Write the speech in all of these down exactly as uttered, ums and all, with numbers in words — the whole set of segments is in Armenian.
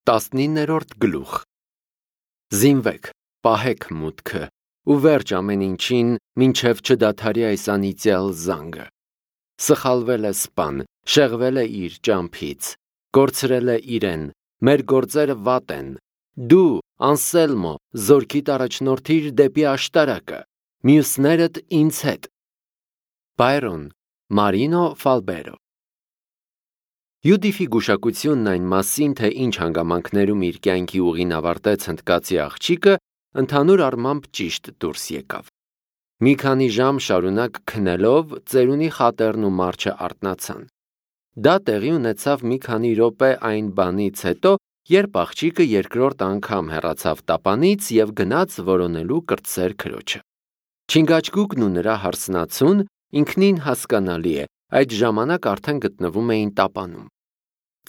տասնիններորդ գլուխ Զինվեք, պահեք մուտքը ու վերջ ամեն ինչին, մինչև չդադարի այս անիծյալ զանգը։ Սխալվել է սպան, շեղվել է իր ճամփից, կորցրել է իրեն, մեր գործերը վատ են։ Դու, Անսելմո, զորքիդ առաջնորդիր դեպի աշտարակը, մյուսներդ ինձ հետ։ Բայրոն, Մարինո Ֆալբերո Յուդիֆի գուշակությունն այն մասին, թե ինչ հանգամանքներում իր կյանքի ուղին ավարտեց հնդկացի աղջիկը, ընդհանուր առմամբ ճիշտ դուրս եկավ։ Մի քանի ժամ շարունակ քնելով, ծերունի խատերն ու մարչը արթնացան։ Դա տեղի ունեցավ մի քանի րոպե այն բանից հետո, երբ աղջիկը երկրորդ անգամ հեռացավ տապանից և գնաց որոնելու կրտսեր քրոջը։ Չինգաչգուկն ու նրա հարսնացուն, ինքնին հասկանալի է, այդ ժամանակ արդեն գտնվում էին տապանում։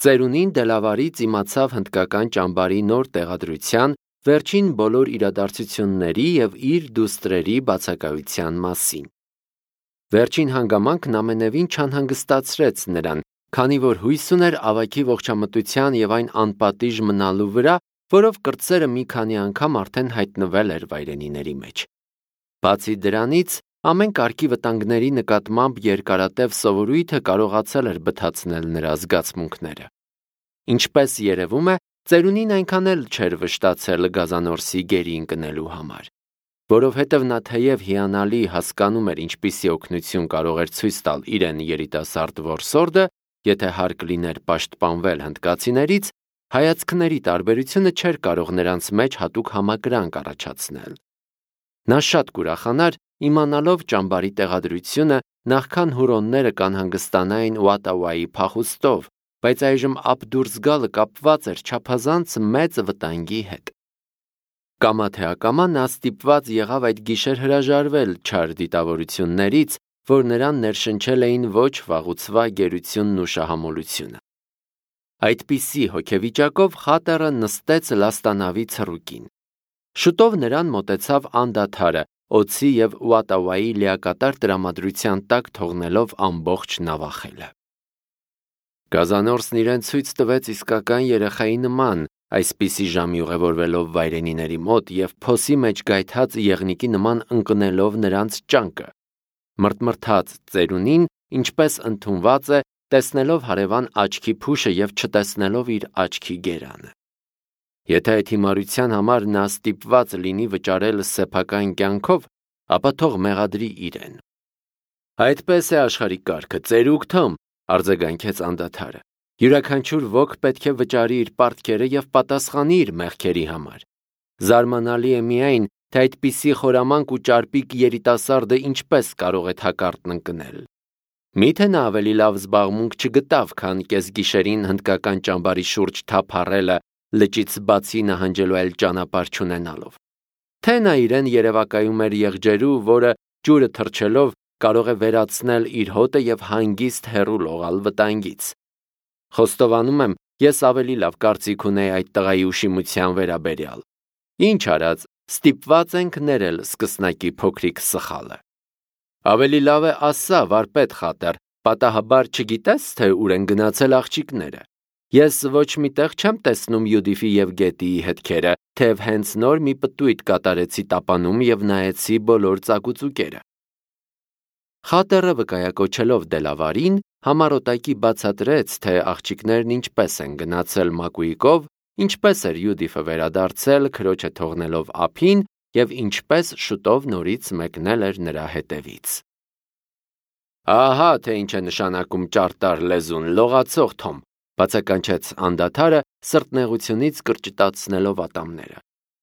Ծերունին դելավարից իմացավ հնդկական ճամբարի նոր տեղադրության, վերջին բոլոր իրադարձությունների և իր դուստրերի բացակայության մասին։ Վերջին հանգամանքն ամենևին չանհանգստացրեց նրան, քանի որ հույս ուներ ավագի ողջամտության և այն անպատիժ մնալու վրա, որով կրտսերը մի քանի անգամ արդեն հայտնվել էր վայրենիների մեջ։ Բացի դրանից, ամեն կարգի վտանգների նկատմամբ երկարատև սովորույթը կարողացել էր բթացնել նրա զգացմունքները։ Ինչպես երևում է, ծերունին այնքան էլ չէր վշտացել Գազանորսի գերի ընկնելու համար, որովհետև նա թեև հիանալի հասկանում էր ինչպիսի օգնություն կարող էր ցույց տալ իրեն երիտասարդ որսորդը, եթե հարկ լիներ պաշտպանվել հնդկացիներից, հայացքների տարբերությունը չէր կարող նրանց մեջ հատուկ համակրանք առաջացնել։ Նա շատ կուրախանար, իմանալով ճամբարի տեղադրությունը, նախքան հուրոնները կանհանգստանային Ուատավայի փախուստով, բայց այժմ Աբդուրս գալը կապված էր չափազանց մեծ վտանգի հետ։ Կամա թե ակամա նա ստիպված եղավ այդ գիշեր հրաժարվել չար դիտավորություններից, որ նրան ներշնչել էին ոչ վաղուցվա գերությունն ու շահամոլությունը։ Այդպիսի հոգեվիճակով խատերը նստեց լաստանավի ցռուկին։ Շուտով նրան մոտեցավ անդադարը, օձի և Ուատավայի լիակատար տրամադրության տակ թողնելով ամբողջ նավախելը։ Գազանորսն իրեն ցույց տվեց իսկական երեխայի նման, այսպիսի ժամի ուղևորվելով վայրենիների մոտ և փոսի մեջ գայթած եղնիկի նման ընկնելով նրանց ճանկը։ Մրթմրթաց ծերունին, ինչպես ընդունված է, տեսնելով հարևան աչքի փուշը և չտեսնելով իր աչքի գերանը։ Եթե այդ հիմարության համար նա ստիպված լինի վճարել սեփական կյանքով, ապա թող մեղադրի իրեն։ Այդպես է աշխարհի կարգը, ծերուկ Թոմ, արձագանքեց անդադարը։ Յուրաքանչյուր ոք պետք է վճարի իր պարտքերը և պատասխանի իր մեղքերի համար։ Զարմանալի է միայն, թե այդպիսի խորամանկ ու ճարպիկ երիտասարդը ինչպես կարող է թակարդն ընկնել։ Միթե նա ավելի լավ զբաղմունք չգտավ, քան կեսգիշերին հնդկական ճամբարի շուրջ թափառելը, լճից բացի նահանջելու այլ ճանապարհ չունենալով։ Թե նա իրեն երևակայում էր եղջերու, որը ջուրը թռչելով կարող է վերացնել իր հոտը և հանգիստ հեռու լողալ վտանգից։ Խոստովանում եմ, ես ավելի լավ կարծիք ունեի այդ տղայի ուշիմության վերաբերյալ։ Ինչ արած, ստիպված ենք ներել սկսնակի փոքրիկ սխալը։ Ավելի լավ է ասա, վարպետ խատեր, պատահաբար չգիտես, թե ուր են գնացել աղջիկները։ Ես ոչ մի տեղ չեմ տեսնում Յուդիֆի և Գետիի հետքերը, թեև հենց նոր մի պտույտ կատարեցի տապանում և նայեցի բոլոր ծակուծուկերը։ Խատերը վկայակոչելով դելավարին, համառոտակի բացատրեց, թե աղջիկներն ինչպես են գնացել Մակուիկով, ինչպես էր Յուդիֆը վերադարձել, քրոջը թողնելով ափին և ինչպես շուտով նորից մեկնել էր նրա հետևից։ Ահա թե ինչ է նշանակում ճարտար լեզուն, լողացող Թոմ, բացականչեց անդադարը, սրտնեղությունից կրճտացնելով ատամները։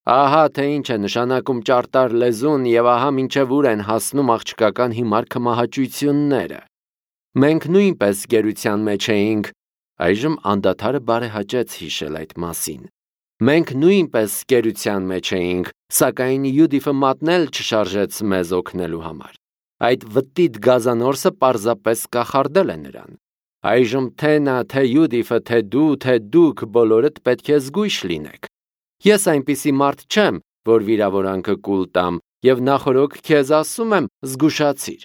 Ահա թե ինչ է նշանակում ճարտար լեզուն և ահա մինչև ուր են հասնում աղջկական հիմար քմահաճույությունները։ Մենք նույնպես գերության մեջ էինք, այժմ անդադարը բարեհաճեց հիշել այդ մասին։ Մենք նույնպես գերության մեջ էինք, սակայն Յուդիֆը մատնել չշարժեց մեզ օգնելու համար։ Այդ վտիտ Գազանորսը պարզապես կախարդել է նրան։ Այժմ թե նա, թե Յուդիֆը, թե դու, թե դուք բոլորդ պետք է զգույշ լինեք։ Ես այնպիսի մարդ չեմ, որ վիրավորանքը կուլ տամ, և նախօրոք քեզ ասում եմ, զգուշացիր։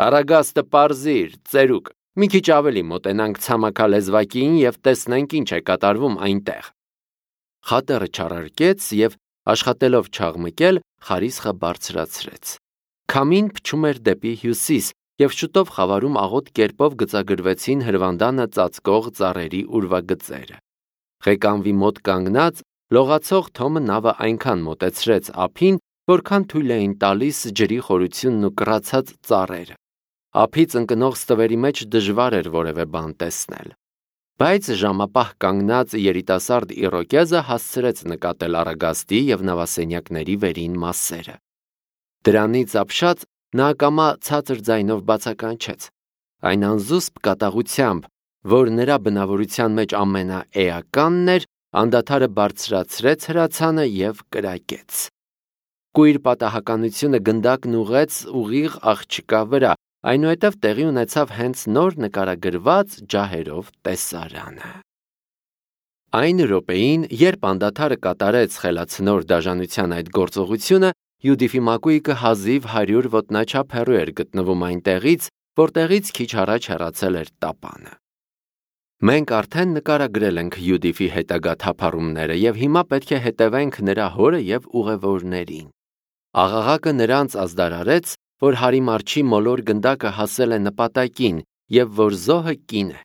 Առագաստը պարզիր, ծերուկ, մի քիչ ավելի մոտենանք ցամաքալեզվակին և տեսնենք ինչ է կատարվում այնտեղ։ խատերը չարարկեց և աշխատելով չաղմկել, խարիսխը բարձրացրեց։ Քամին փչում էր դեպի հյուսիս, և շուտով խավարում աղոտ կերպով գծագրվեցին հրվանդանը ծածկող ծառերի ուրվագծերը։ Ղեկանվի մոտ կանգնած, լողացող Թոմը նավը այնքան մոտեցրեց ափին, որքան թույլ էին տալիս ջրի խորությունն ու կռացած ծառերը։ Ափից ընկնող ստվերի մեջ դժվար էր որևէ բան տեսնել։ Բայց ժամապահ կանգնած երիտասարդ Իռոկեզը հասցրեց նկատել Արագաստի և նավասենյակների վերին մասերը։ Դրանից ապշած նա ակամա ցածր ձայնով բացականչեց, այն անզուսպ կատաղությամբ, որ նրա բնավորության մեջ ամենաէականն էր, անդադարը բարձրացրեց հրացանը և կրակեց։ Կույր պատահականությունը գնդակն ուղղեց ուղիղ աղջկա վրա, այնուհետև տեղի ունեցավ հենց նոր նկարագրված ջահերով տեսարանը։ Այն րոպեին, երբ անդադարը կատարեց խելացնոր դաժանության այդ գործողությունը, Յուդիֆի մակույկը հազիվ հարյուր ոտնաչափ հեռու էր գտնվում այնտեղից, որտեղից քիչ առաջ հեռացել էր տապանը։ Մենք արդեն նկարագրել ենք Յուդիֆի հետագա թափառումները և հիմա պետք է հետևենք նրա հորը և ուղևորներին։ Աղաղակը նրանց ազդարարեց, որ հարիմարջի մոլոր գնդակը հասել է նպատակին և որ զոհը կին է։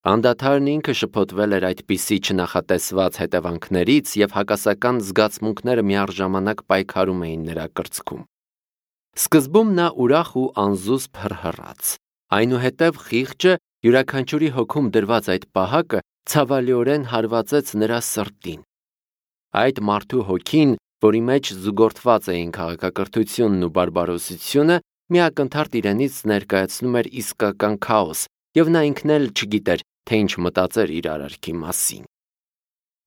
Անդադարն ինքը շփոթվել էր այդպիսի չնախատեսված հետևանքներից և հակասական զգացմունքները միառժամանակ պայքարում էին նրա կրծքում։ Սկզբում նա ուրախ ու անզուսպ հռհռաց, այնուհետև խիղճը, յուրաքանչյուրի հոգում դրված այդ պահակը, ցավալիորեն հարվածեց նրա սրտին։ Այդ մարդու հոգին, որի մեջ զուգորդված էին քաղաքակրթությունն ու բարբարոսությունը, միակնթարթ իրենից ներկայացնում էր իսկական քաոս, և նա ինքն էլ չգիտեր, թե ինչ մտածեր իր արարքի մասին։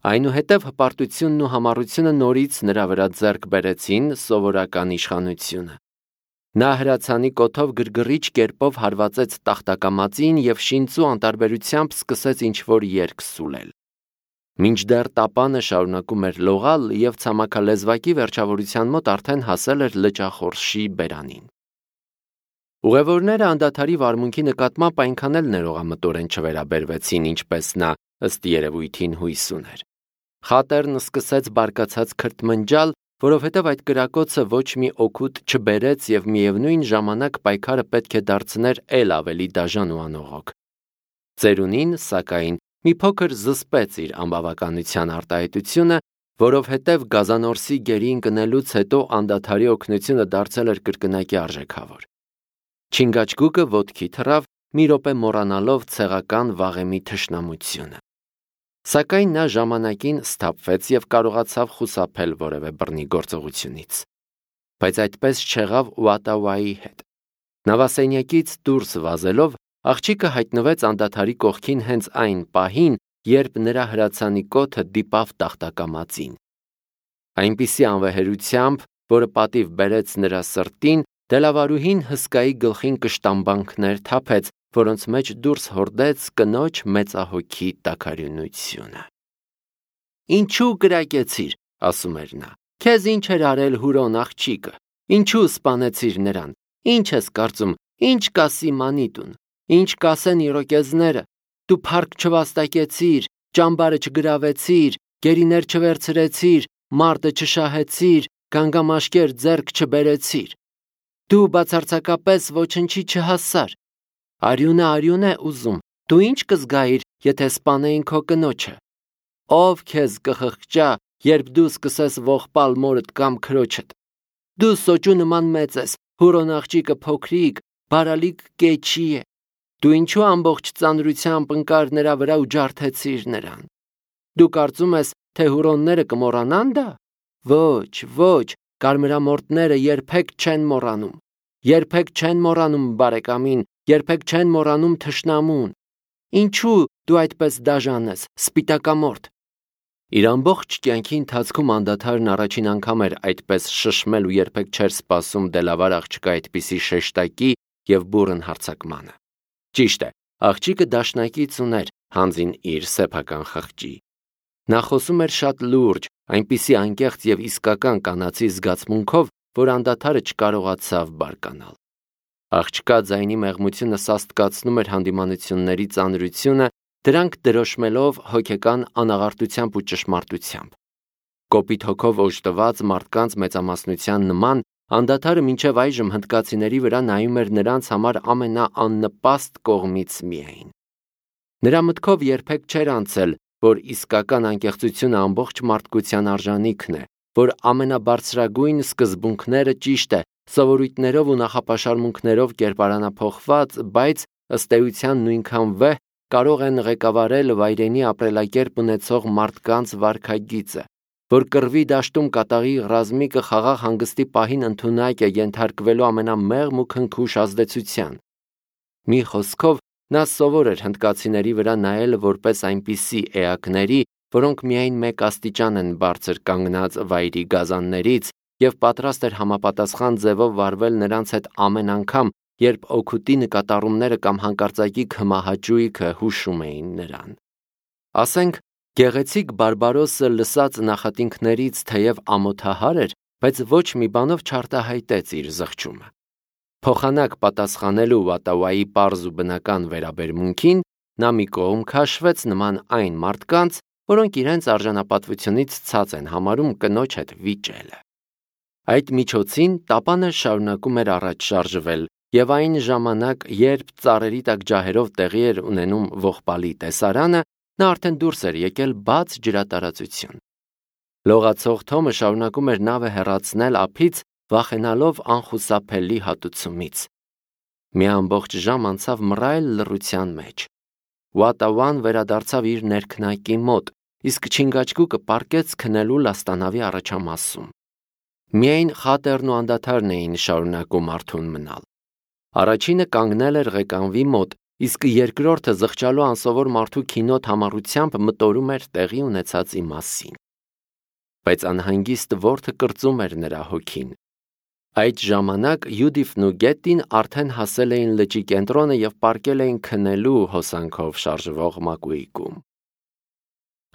Այնուհետև հպարտությունն ու համառությունը նորից նրա վրա ձեռք բերեցին սովորական իշխանությունը։ Նա հրացանի կոթով գրգռիչ կերպով հարվածեց տախտակամածին և շինծու անտարբերությամբ սկսեց ինչ-որ երգ սուլել։ Մինչդեռ տապանը շարունակում էր լողալ և ցամաքալեզվակի վերջավորության մոտ արդեն հասել էր լճախորշի բերանին։ Ուղևորները անդադարի վարմունքի նկատմամբ այնքան էլ ներողամտորեն չվերաբերվեցին, ինչպես նա ըստ երևույթին հույս ուներ։ Խատերն սկսեց բարկացած քրթմնջալ, որովհետև այդ կրակոցը ոչ մի օգուտ չբերեց և միևնույն ժամանակ պայքարը պետք է դարձներ էլ ավելի դաժան ու անողոք։ Ծերունին, սակայն, մի փոքր զսպեց իր անբավականության արտահայտությունը, որովհետև գազանորսի գերի ընկնելուց հետո անդադարի օգնությունը դարձել էր կրկնակի արժեքավոր։ Չինգաչգուկը ոտքի թռավ, մի րոպե մոռանալով ցեղական վաղեմի թշնամությունը։ Սակայն նա ժամանակին սթափվեց և կարողացավ խուսափել որևէ բռնի գործողությունից։ Բայց այդպես չեղավ Ուատավայի հետ։ Նավասենյակից դուրս վազելով, աղջիկը հայտնվեց անդադարի կողքին հենց այն պահին, երբ նրա հրացանի կոթը դիպավ տախտակամածին։ Այնպիսի անվեհերությամբ, որը պատիվ բերեց նրա սրտին, դելավարուհին հսկայի գլխին կշտամբանքներ թափեց, որոնց մեջ դուրս հորդեց կնոջ մեծահոգի տաքարյունությունը։ «Ինչու կրակեցիր», ասում էր նա, «քեզ ինչ էր արել Հուրոն աղջիկը, ինչու սպանեցիր նրան, ինչ ես կարծում, ինչ կասի Մանիտուն, ինչ կասեն Իրոկեզները, դու փառք չվաստակեցիր, ճամբարը չգրավեցիր, գերիներ չվերցրեցիր, մարտը չշահեցիր, գանգամաշկեր ձեռք չբերեցիր, դու բացարձակապես ոչնչի չհասար, արյունը արյուն է ուզում, դու ինչ կզգայիր, եթե սպանեին քո կնոջը, ով քեզ կխղճա, երբ դու սկսես ողբալ մորդ կամ քրոջդ, դու սոճու նման մեծ ես, Հուրոն աղջիկը փոքրիկ, բարալիկ կեչի է, դու ինչու ամբողջ ծանրությամբ ընկար նրա վրա ու ջարդեցիր նրան, դու կարծում ես, թե հուրոնները կմոռանան դա, ոչ, ոչ, կարմրամորտները երբեք չեն մոռանում, երբեք չեն մոռանում բարեկամին, երբեք չեն մոռանում թշնամուն, ինչու դու այդպես դաժան ես, սպիտակամորթ։ Իր ամբողջ կյանքի ընթացքում անդադարն առաջին անգամ էր այդպես շշմել ու երբեք չէր սպասում դելավար աղջկա այդպիսի շեշտակի և բուռն հարձակմանը։ Ճիշտ է, աղջիկը դաշնակից ուներ հանձին իր սեփական խղճի։ Նա խոսում էր շատ լուրջ, այնպիսի անկեղծ և իսկական կանացի զգացմունքով, որ անդադարը չկարողացավ բարկանալ։ Աղջկա ձայնի մեղմությունը սաստկացնում էր հանդիմանությունների ծանրությունը դրանք դրոշմելով հոգեկան անաղարտությամբ ու ճշմարտությամբ։ Կոպիտ հոգով օժտված մարդկանց մեծամասնության նման անդադարը մինչև այժմ հնդկացիների վրա նայում էր նրանց համար ամենաաննպաստ կողմից միայն։ Նրա մտքով երբեք չէր անցել, որ իսկական անկեղծությունը ամբողջ մարդկության արժանիքն է, որ ամենաբարձրագույն սկզբունքները ճիշտ է, սովորույթներով ու նախապաշարմունքներով կերպարանափոխված, բայց ըստ էության նույնքան վեհ կարող են ղեկավարել վայրենի ապրելակերպ ունեցող մարդկանց վարքագիծը, որ կռվի դաշտում կատաղի ռազմիկը խաղաղ հանգստի պահին ընդունակ է ենթարկվելու ամենամեղմ ու քնքուշ ազդեցության։ Մի խոսքով, նա սովոր էր հնդկացիների վրա նայել որպես այնպիսի էակների, որոնք միայն մեկ աստիճան են բարձր կանգնած վայրի գազաններից և պատրաստ էր համապատասխան ձևով վարվել նրանց հետ ամեն անգամ, երբ օգուտի նկատառումները կամ հանկարծակի քմահաճույքը հուշում էին նրան։ Ասենք, գեղեցիկ Բարբարոսը լսած նախատինքներից թեև ամոթահար էր, բայց ոչ մի բանով չարտահայտեց իր զղջումը։ Փոխանակ պատասխանելու Վատավայի պարզ ու բնական վերաբերմունքին, նա մի կողմ քաշվեց նման այն մարդկանց, որոնք իրենց արժանապատվությունից ցած են համարում կնոջ հետ վիճելը։ Այդ միջոցին տապանը շարունակում էր առաջ շարժվել, և այն ժամանակ, երբ ծառերի տակ ջահերով տեղի էր ունենում ողբալի տեսարանը, նա արդեն դուրս էր եկել բաց ջրատարածություն։ Լողացող Թոմը շարունակում էր նավը հեռացնել ափից, վախենալով անխուսափելի հատուցումից։ Մի ամբողջ ժամ անցավ մռայլ լռության մեջ։ Վատավան վերադարձավ իր ներքնակի մոտ, իսկ չինգաչգուկը պառկեց քնելու լաստանավի առաջամասում։ Միայն խատերն ու անդադարն էին շարունակում արթուն մնալ։ Առաջինը կանգնել էր ղեկանվի մոտ, իսկ երկրորդը զղջալու անսովոր մարդու քինոտ համառությամբ մտորում էր տեղի ունեցածի մասին։ Բայց անհանգիստ որդը կրծում էր նրա հոգին։ Այդ ժամանակ Յուդիֆն ու Գետտին արդեն հասել էին լճի կենտրոնը և պառկել էին քնելու հոսանքով շարժվող մակույկում։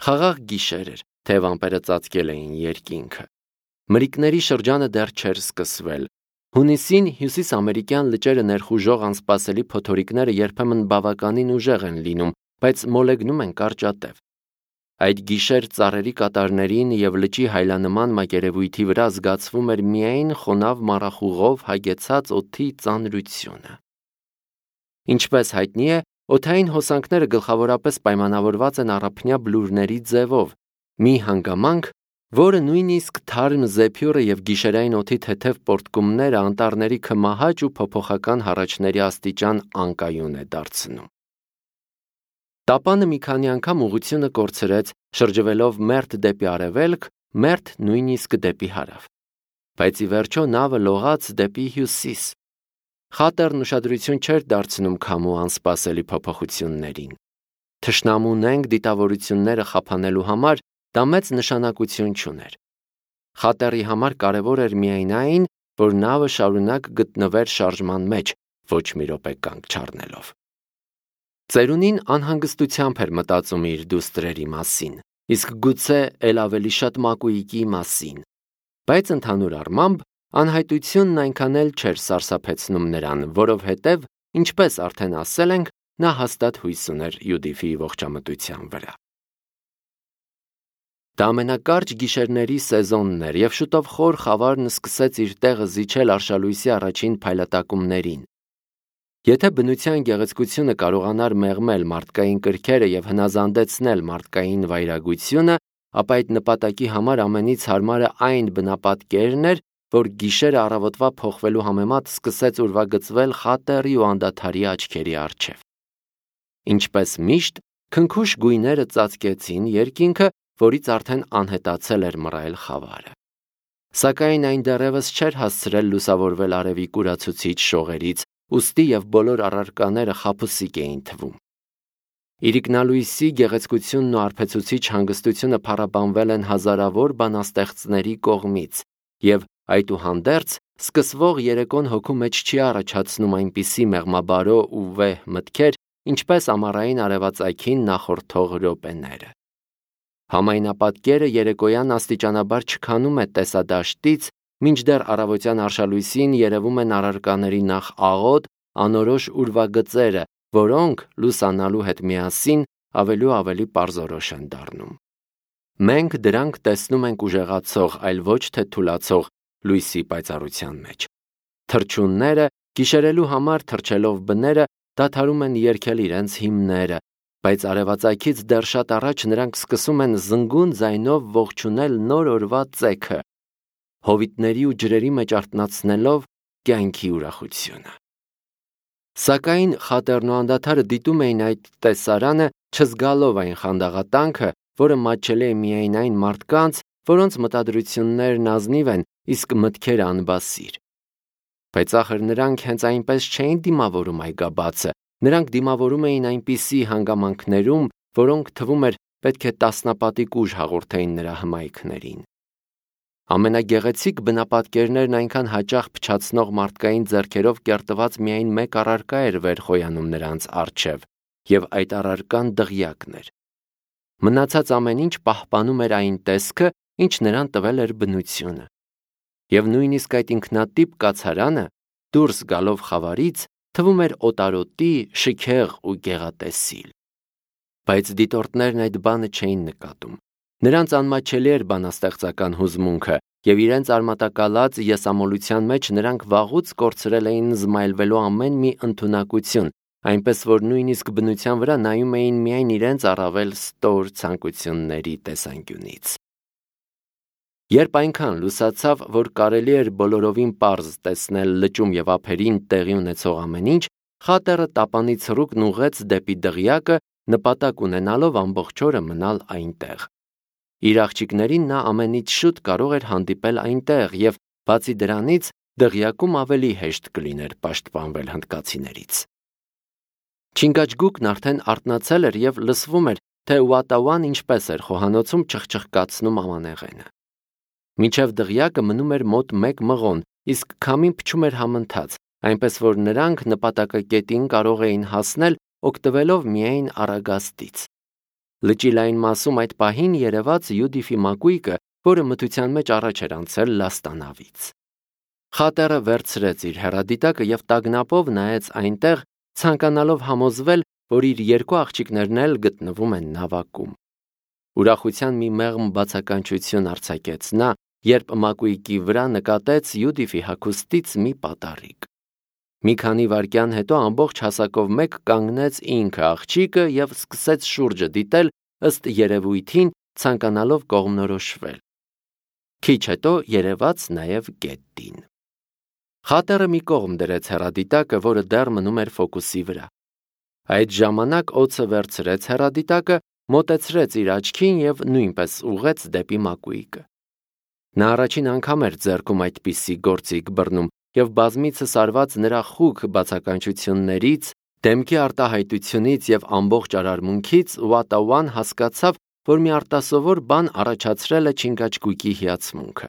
Խաղաղ գիշեր էր, թեև ամպերը ծածկել էին երկինքը։ Մրրիկների շրջանը դեռ չէր սկսվել։ Հունիսին հյուսիսամերիկյան լճերը ներխուժող անսպասելի փոթորիկները երբեմն բավականին ուժեղ են լինում, բայց մոլեգնում են կարճատև։ Այդ գիշեր ծառերի կատարներին և լճի հայլանման մակերևույթի վրա զգացվում էր միայն խոնավ մառախուղով հագեցած օդի ծանրությունը։ Ինչպես հայտնի է, օդային հոսանքները գլխավորապես պայմանավորված են առափնյա բլուրների ձևով, մի հանգամանք, որը նույնիսկ թարմ զեփյուռը և գիշերային օդի թեթև պոռթկումները անտառների քմահաճ ու փոփոխական հառաչների աստիճան անկայուն է դարձնում։ Տապանը մի քանի անգամ ուղղությունը կորցրեց, շրջվելով մերթ դեպի արևելք, մերթ նույնիսկ դեպի հարավ։ Բայց ի վերջո նավը լողաց դեպի հյուսիս։ Խատերն ուշադրություն չէր դարձնում քամու անսպասելի փոփոխություններին։ Թշնամունենք դիտավորությունները խափանելու համար դա մեծ նշանակություն չուներ։ Խատերի համար կարևոր էր միայն այն, որ նավը շարունակ գտնվեր շարժման մեջ, ոչ մի րոպե կանգ չառնելով։ Ծերունին անհանգստությամբ էր մտածում իր դուստրերի մասին, իսկ գուցե էլ ավելի շատ մակույկի մասին, բայց ընդհանուր առմամբ անհայտությունն այնքան էլ չէր սարսափեցնում նրան, որովհետև, ինչպես արդեն ասել ենք, նա հաստատ հույս ուներ Յուդիֆի ողջամտության վրա։ Դա ամենակարճ գիշերների սեզոնն էր, և շուտով խոր խավարն սկսեց իր տեղը զիջել արշալույսի առաջին փայլատակումներին։ Եթե բնության գեղեցկությունը կարողանար մեղմել մարդկային կրքերը և հնազանդեցնել մարդկային վայրագությունը, ապա այդ նպատակի համար ամենից հարմարը այն բնապատկերն էր, որ գիշերը առավոտվա փոխվելու համեմատ սկսեց ուրվագծվել խատերի ու անդադարի աչքերի առջև։ Ինչպես միշտ, քնքուշ գույները ծածկեցին երկինքը, որից արդեն անհետացել էր մռայլ խավարը։ Սակայն այն դեռևս չէր հասցրել լուսավորվել արևի կուրացուցիչ շողերից, ուստի և բոլոր առարկաները խաբուսիկ էին թվում։ Իրիկնալույսի գեղեցկությունն ու արբեցուցիչ հանգստությունը փառաբանվել են հազարավոր բանաստեղծների կողմից, և այդուհանդերձ սկսվող երեկոն հոգու մեջ չի առաջացնում այնպիսի մեղմաբարո ու վեհ մտքեր, ինչպես ամառային արևածագին նախորդող րոպեները։ Համայնապատկերը երեկոյան աստիճանաբար չքանում է տեսադաշտից, մինչդեռ առավոտյան արշալույսին երևում են առարկաների նախ աղոտ, անորոշ ուրվագծերը, որոնք, լուսանալու հետ միասին, ավելի ու ավելի պարզորոշ են դառնում։ Մենք դրանք տեսնում ենք ուժեղացող, այլ ոչ թե թուլացող լույսի պայծառության մեջ։ Թռչունները, գիշերելու համար թռչելով բները, դադարում են երգել իրենց հիմները, բայց արևածագից դեռ շատ առաջ նրանք սկսում են զնգուն ձայնով ողջունել նոր օրվա ծեքը, հովիտների ու ջրերի մեջ արթնացնելով կյանքի ուրախությունը։ Սակայն Խատերն ու անդադարը դիտում էին այդ տեսարանը, չզգալով այն խանդաղատանքը, որը մատչելի է միայն այն մարդկանց, որոնց մտադրություններն ազնիվ են, իսկ մտքերը անբասիր։ Բայց ախր նրանք հենց այնպես չէին դիմավորում այգաբացը, նրանք դիմավորում էին այնպիսի հանգամանքներում, որոնք թվում էր պետք է տասնապատիկ ուժ հաղորդեին նրա հմայքներին։ Ամենագեղեցիկ բնապատկերներն այնքան հաճախ փչացնող մարդկային ձեռքերով կերտված միայն մեկ առարկա էր վեր խոյանում նրանց առջև, եւ այդ առարկան դղյակն էր։ Մնացած ամեն ինչ պահպանում էր այն տեսքը, ինչ նրան տվել էր բնությունը։ Եվ նույնիսկ այդ ինքնատիպ կացարանը, դուրս գալով խավարից, թվում էր օտարոտի, շքեղ ու գեղատեսիլ։ Բայց դիտորդներն այդ բանը չէին նկատում։ Նրանց անմատչելի էր բանաստեղծական հուզմունքը, եւ իրենց արմատակալած եսամոլության մեջ նրանք վաղուց կորցրել էին զմայլվելու ամեն մի ընդունակություն, այնպես որ նույնիսկ բնության վրա նայում էին միայն իրենց առավել ստոր ցանկությունների տեսանկյունից։ Երբ այնքան լուսացավ, որ կարելի էր բոլորովին պարզ տեսնել լճում եւ ափերին տեղի ունեցող ամեն ինչ, Խատերը տապանից ռուկն ուղղեց դեպի դղյակը, նպատակ ունենալով ամբողջ օրը մնալ այնտեղ։ Իր աղջիկներին նա ամենից շուտ կարող էր հանդիպել այնտեղ եւ բացի դրանից դղյակում ավելի հեշտ կլիներ պաշտպանվել հնդկացիներից։ Չինգաչգուկն արդեն արթնացել էր եւ լսվում էր, թե Ուատաուան ինչպես էր խոհանոցում չխչխկացնում ամանեղենը։ Մինչև դղյակը մնում էր մոտ մեկ մղոն, իսկ քամին փչում էր համընթաց, այնպես որ նրանք նպատակակետին կարող էին հասնել օգտվելով միայն առագաստից։ Լճի լայն մասում այդ պահին երևաց Յուդիֆի մակույկը, որը մթության մեջ առաջ էր անցել լաստանավից։ Խատերը վերցրեց իր հեռադիտակը եւ տագնապով նայեց այնտեղ, ցանկանալով համոզվել, որ իր երկու աղջիկներն էլ գտնվում են նավակում։ Ուրախության մի մեղմ բացականչություն արձակեց նա, երբ մակույկի վրա նկատեց Յուդիֆի հագուստից մի պատառիկ։ Մի քանի վայրկյան հետո ամբողջ հասակով մեկ կանգնեց ինքը աղջիկը եւ սկսեց շուրջը դիտել, ըստ երևույթին ցանկանալով կողմնորոշվել։ Քիչ հետո երևաց նաեւ գետին։ Խատերը մի կողմ դրեց հեռադիտակը, որը դեռ մնում էր ֆոկուսի վրա։ Այդ ժամանակ օձը վերցրեց հեռադիտակը, մոտեցրեց իր աչքին եւ նույնպես ուղղեց դեպի մակույկը։ Նա առաջին անգամ էր ձեռքում այդպիսի գործիք բռնում եւ բազմիցս արված նրա խուք բացականչություններից, դեմքի արտահայտությունից եւ ամբողջ արարմունքից Ուատաուան հասկացավ, որ մի արտասովոր բան առաջացրել է Չինգաչգուկի հիացմունքը։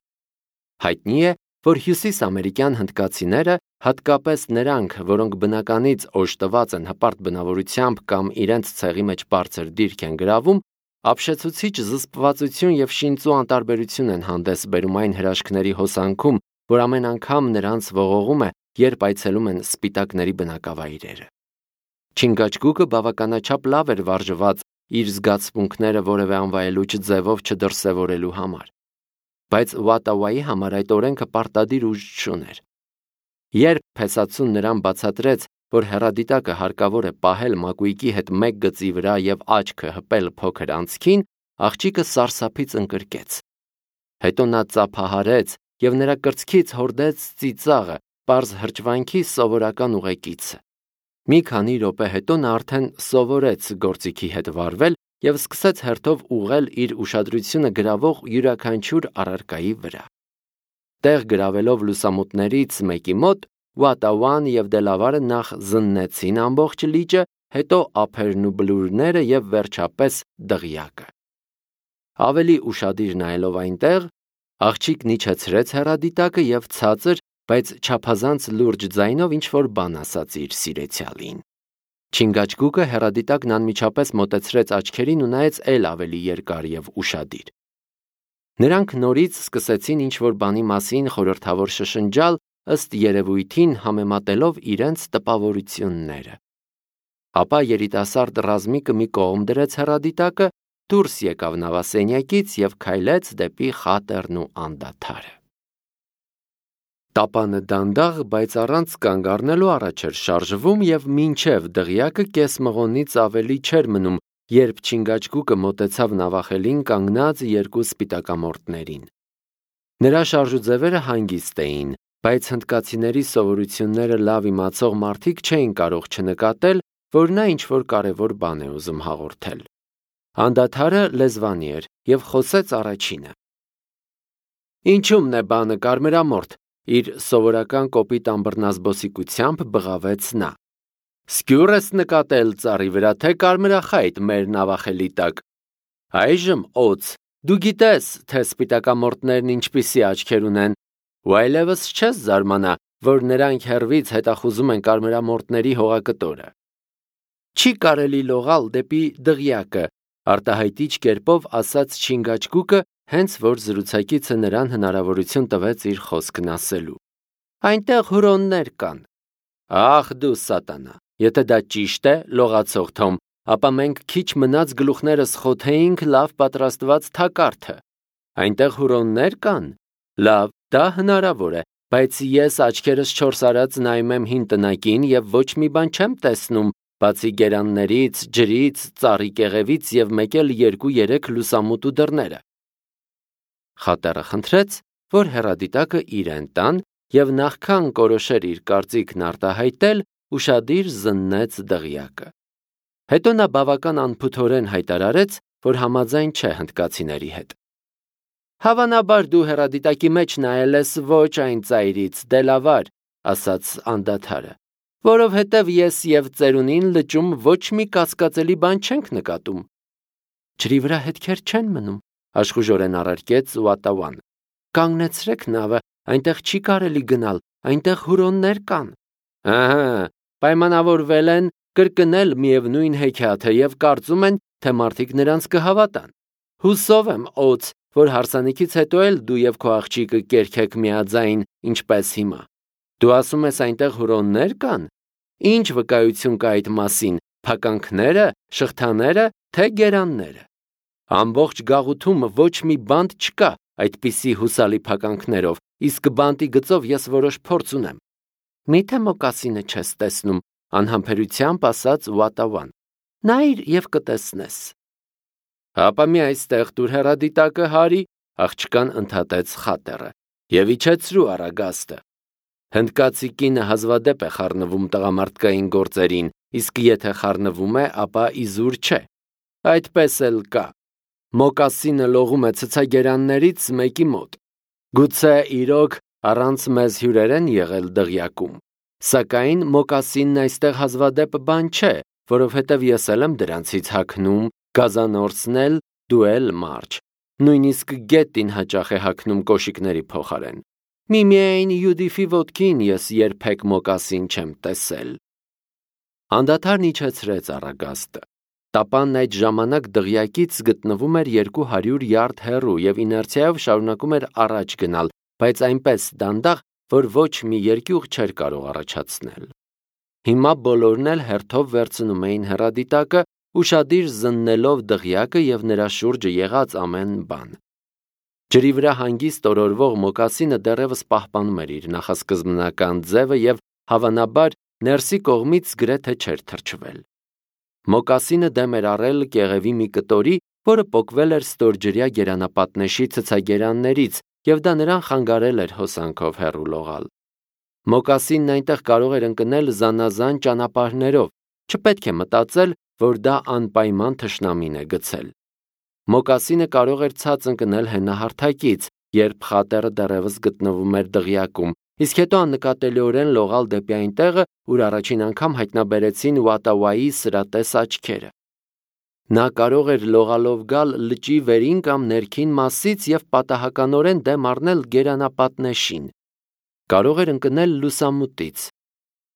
Հայտնի է, որ հյուսիսամերիկյան հնդկացիները, հատկապես նրանք, որոնք բնականից օժտված են հպարտ բնավորությամբ կամ իրենց ցեղի մեջ բարձր դիրք են գրավում, ապշեցուցիչ զսպվածություն եւ շինծու անտարբերություն են հանդես բերում այն հրաշքների հոսանքում, որ ամեն անգամ նրանց ողողում է, երբ այցելում են սպիտակների բնակավայրերը։ Չինգաչգուկը բավականաչափ լավ էր վարժված իր զգացմունքները որևէ անվայելուչ ձևով չդրսևորելու համար, բայց Ուատաուայի համար այդ օրենքը պարտադիր ուժ չուներ։ Երբ փեսացուն նրան բացատրեց, որ հեռադիտակը հարկավոր է պահել մակույկի հետ մեկ գծի վրա եւ աչքը հպել փոքր անցքին, աղջիկը սարսափից ընկրկեց։ Հետո նա ծափահարեց եւ նրա կրծքից հորդեց ծիծաղը, պարզ հրճվանքի սովորական ուղեկիցը։ Մի քանի րոպե հետո նա արդեն սովորեց գործիքի հետ վարվել եւ սկսեց հերթով ուղղել իր ուշադրությունը գրավող յուրաքանչյուր առարկայի վրա։ Տեղ գրավելով լուսամուտներից մեկի մոտ, Ուատաուան եւ Դելավարը նախ զննեցին ամբողջ լիճը, հետո ափերն ու բլուրները եւ վերջապես դղյակը։ Ավելի ուշադիր նայելով այնտեղ, աղջիկն իջեցրեց հեռադիտակը եւ ցածր, բայց չափազանց լուրջ ձայնով ինչ-որ բան ասաց իր սիրեցյալին։ Չինգաչգուկը հեռադիտակն անմիջապես մոտեցրեց աչքերին ու նայեց էլ ավելի երկար եւ ուշադիր։ Նրանք նորից սկսեցին ինչ-որ բանի մասին խորհրդավոր շշնջալ, ըստ երևույթին համեմատելով իրենց տպավորությունները։ Ապա երիտասարդ ռազմիկը մի կողմ դրեց հեռադիտակը, դուրս եկավ նավասենյակից և քայլեց դեպի խատերն ու անդադարը։ Տապանը դանդաղ, բայց առանց կանգ առնելու առաջ էր շարժվում և մինչև դղյակը կես մղոնից ավելի չէր մնում, երբ չինգաչգուկը մոտեցավ նավախելին կանգնած երկու սպիտակամորտներին։ Նրա շարժուձևերը հանգիստ էին, բայց հնդկացիների սովորությունները լավ իմացող մարդիկ չէին կարող չնկատել, որ նա ինչ-որ կարևոր բան է ուզում հաղորդել։ Անդադարը լեզվանի էր և խոսեց առաջինը։ «Ինչումն է բանը, կարմրամորթ», իր սովորական կոպիտ ամբռնազբոսիկությամբ բղավեց նա։ «Սկյուռ ես նկատել ծառի վրա, թե կարմրախայտ մեր նավախելի տակ։ Այժմ օձ, դու գիտես, թե սպիտակամորտներն ինչպիսի աչքեր ունեն, ու այլևս չես զարմանա, որ նրանք հեռվից հետախուզում են կարմրամորտների հողակտորը։ Չի կարելի լողալ դեպի դղյակը», արտահայտիչ կերպով ասաց Չինգաչգուկը, հենց որ զրուցակիցը նրան հնարավորություն տվեց իր խոսքն ասելու։ «Այնտեղ հուրոններ կան»։ «Ախ դու սատանա, եթե դա ճիշտ է, լողացող Թոմ, ապա մենք քիչ մնաց գլուխներս խոթեինք լավ պատրաստված թակարդը։ Այնտեղ հուրոններ կան։ Լավ, դա հնարավոր է, բայց ես աչքերս չորս արած նայում եմ հին տնակին և ոչ մի բան չեմ տեսնում, բացի գերաններից, ջրից, ծառի կեղևից և մեկ էլ երկու-երեք լուսամուտու դռները»։ Խատեռը խնդրեց, որ հեռադիտակը իրեն տան և նախքան կորոշեր իր կարծիքն արտահայտել, ուշադիր զննեց դղյակը։ Հետո նա բավական անփութորեն հայտարարեց, որ համաձայն չէ հնդկացիների հետ։ «Հավանաբար դու հեռադիտակի մեջ նայել ես ոչ այն ծայրից, դելավար», ասաց անդադարը, «որովհետև ես և ծերունին լճում ոչ մի կասկածելի բան չենք նկատում»։ «Ջրի վրա հետքեր չեն մնում», աշխուժորեն առարկեց Ուատավան։ «Կանգնեցրեք նավը, այնտեղ չի կարելի գնալ, այնտեղ հուրոններ կան»։ «Ահա, պայմանավորվել են կրկնել միևնույն հեքիաթը և կարծում են, թե մարդիկ նրանց կհավատան։ Հուսով եմ, օձ, որ հարսանիքից հետո էլ դու և քո աղջիկը կերքեք միաձայն, ինչպես հիմա։ Դու ասում ես այնտեղ հուրոններ կան։ Ինչ վկայություն կա այդ մասին, փականքները, շղթաները, թե գերանները։ Ամբողջ գաղութում ոչ մի բանտ չկա այդպիսի հուսալի փականքներով, իսկ բանտի գծով ես որոշ փորձ ունեմ»։ «Մի՞թե մոկասինը չես տեսնում», անհամբերությամբ ասաց Ուատավան։ «Նայիր և կտեսնես»։ «Հապա մի այստեղ տուր հեռադիտակը, հարի», աղջկան ընդհատեց խատեռը, «և իջեցրու առագաստը։ Հնդկացի կինը հազվադեպ է խառնվում տղամարդկային գործերին, իսկ եթե խառնվում է, ապա իզուր չէ։ Այդպես էլ կա։ Մոկասինը լողում է ցցագերաններից մեկի մոտ։ Գուցե իրոք առանց մեզ հյուրեր են եղել դղյակում, սակայն մոկասինն այստեղ հազվադեպ բան չէ, որովհետև ես էլ եմ դրանցից հագնում, գազանորցն էլ, դու էլ մարջ, նույնիսկ գետին հաճախ է հագնում կոշիկների փոխարեն։ Միմիայն Յուդիֆի ոտքին ես երբեք մոկասին չեմ տեսել»։ Անդադարն իջեցրեց առագաստը։ Տապանն այդ ժամանակ դղյակից գտնվում էր երկու հարյուր յարդ հեռու և իներցիայով շարունակում էր առաջ գնալ, բայց այնպես դանդաղ, որ ոչ մի երկյուղ չէր կարող առաջացնել։ Հիմա բոլորն էլ հերթով վերցնում էին հեռադիտակը, ուշադիր զննելով դղյակը և նրա շուրջը եղած ամեն բան։ Ջրի վրա հանգիստ օրորվող մոկասինը դեռևս պահպանում էր իր նախասկզբնական ձևը և, հավանաբար, ներսի կողմից գրեթե չէր թրջվել։ Մոկասինը դեմ էր առել կեղևի մի կտորի, որը պոկվել էր ստորջրյա գերանապատնեշի ցցագերաններից, և դա նրան խանգարել էր հոսանքով հեռու լողալ։ Մոկասինն այնտեղ կարող էր ընկնել զանազան ճանապարհներով, չպետք է մտածել, որ դա անպայման թշնամին է գցել։ Մոկասինը կարող էր ցած ընկնել հենահարթակից, երբ խատեռը դեռևս գտնվում էր դղյակում, իսկ հետո աննկատելիորեն լողալ դեպի այն տեղը, ուր առաջին անգամ հայտնաբերեցին Ուատավայի սրատես աչքերը։ Նա կարող էր լողալով գալ լճի վերին կամ ներքին մասից և պատահականորեն դեմ առնել գերանապատնեշին։ Կարող էր ընկնել լուսամուտից։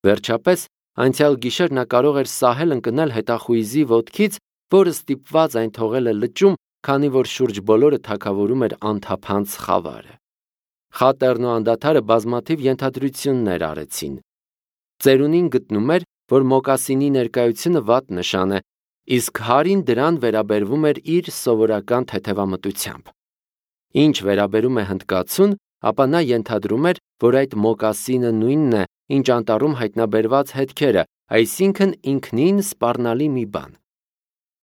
Վերջապես, անցյալ գիշեր նա կարող էր սահել ընկնել հետախույզի ոտքից, որը ստիպված այն թողել է լճում, քանի որ շուրջ բոլորը թագավորում էր անթափանց խավարը։ Խատեռն ու անդադարը բազմաթիվ ենթադրություններ արեցին։ Ծերունին գտնում էր, որ մոկասինի ներկայությունը վատ նշան է, իսկ Հարին դրան վերաբերվում էր իր սովորական թեթևամտությամբ։ Ինչ վերաբերում է հնդկացուն, ապա նա ենթադրում էր, որ այդ մոկասինը նույնն է, ինչ անտառում հայտնաբերված հետքերը, այսինքն ինքնին սպառնալի մի բան։